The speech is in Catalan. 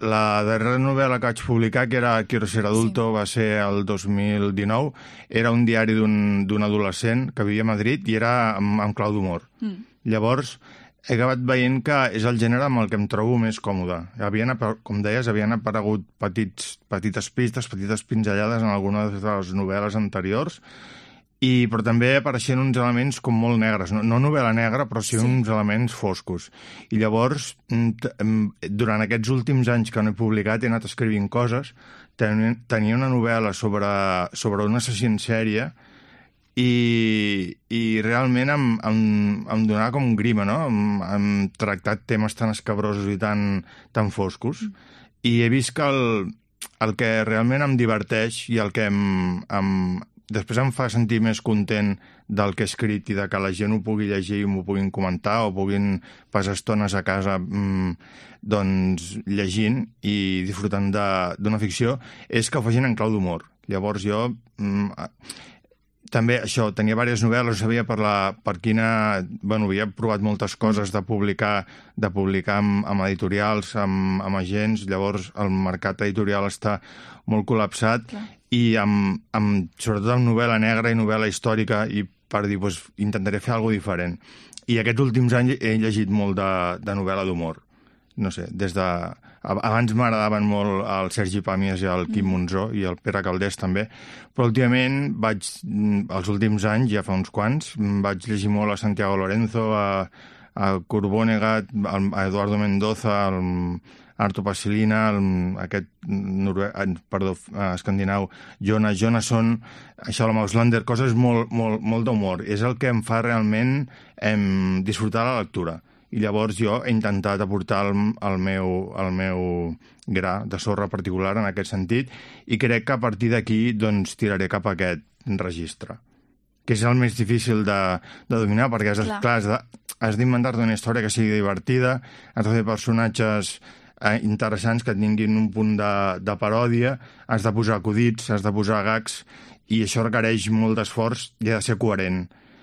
La darrera novel·la que vaig publicar, que era Quiero ser adulto, va ser el 2019. Era un diari d'un adolescent que vivia a Madrid i era amb clau d'humor. Llavors, he acabat veient que és el gènere amb el que em trobo més còmode. Com deies, havien aparegut petites pistes, petites pinzellades en algunes de les novel·les anteriors, però també apareixien uns elements com molt negres, no novel·la negra, però sí uns elements foscos. I llavors, durant aquests últims anys que no he publicat, he anat escrivint coses. Tenia una novel·la sobre un assassí en sèrie i realment em donava com grima, no? Hem tractat temes tan escabrosos i tan foscos. I he vist que el que realment em diverteix i el que després em fa sentir més content del que he escrit i de que la gent ho pugui llegir i m'ho puguin comentar o puguin passar estones a casa llegint i disfrutant d'una ficció, és que ho facin en clau d'humor. Llavors jo també això, tenia diverses novel·les, sabia per quina... Bueno, havia provat moltes coses de publicar amb editorials, amb agents, llavors el mercat editorial està molt col·lapsat i sobretot amb novel·la negra i novel·la històrica i per dir, intentaré fer alguna cosa diferent. I aquests últims anys he llegit molt de novel·la d'humor. No sé, abans m'agradaven molt el Sergi Pàmies i el Quim Monzó i el Pere Calders també, però últimament els últims anys, ja fa uns quants, vaig llegir molt a Santiago Lorenzo, a Kurt Vonnegut, a Eduardo Mendoza, a Arto Passilina, aquest escandinau Jonas Jonasson, això la Mauslander, coses molt d'humor. És el que em fa realment disfrutar la lectura. I llavors jo he intentat aportar el meu gra de sorra particular en aquest sentit i crec que a partir d'aquí tiraré cap a aquest registre, que és el més difícil de dominar, perquè has d'inventar-te una història que sigui divertida, has de fer personatges interessants que tinguin un punt de paròdia, has de posar acudits, has de posar gags, i això requereix molt d'esforç i ha de ser coherent.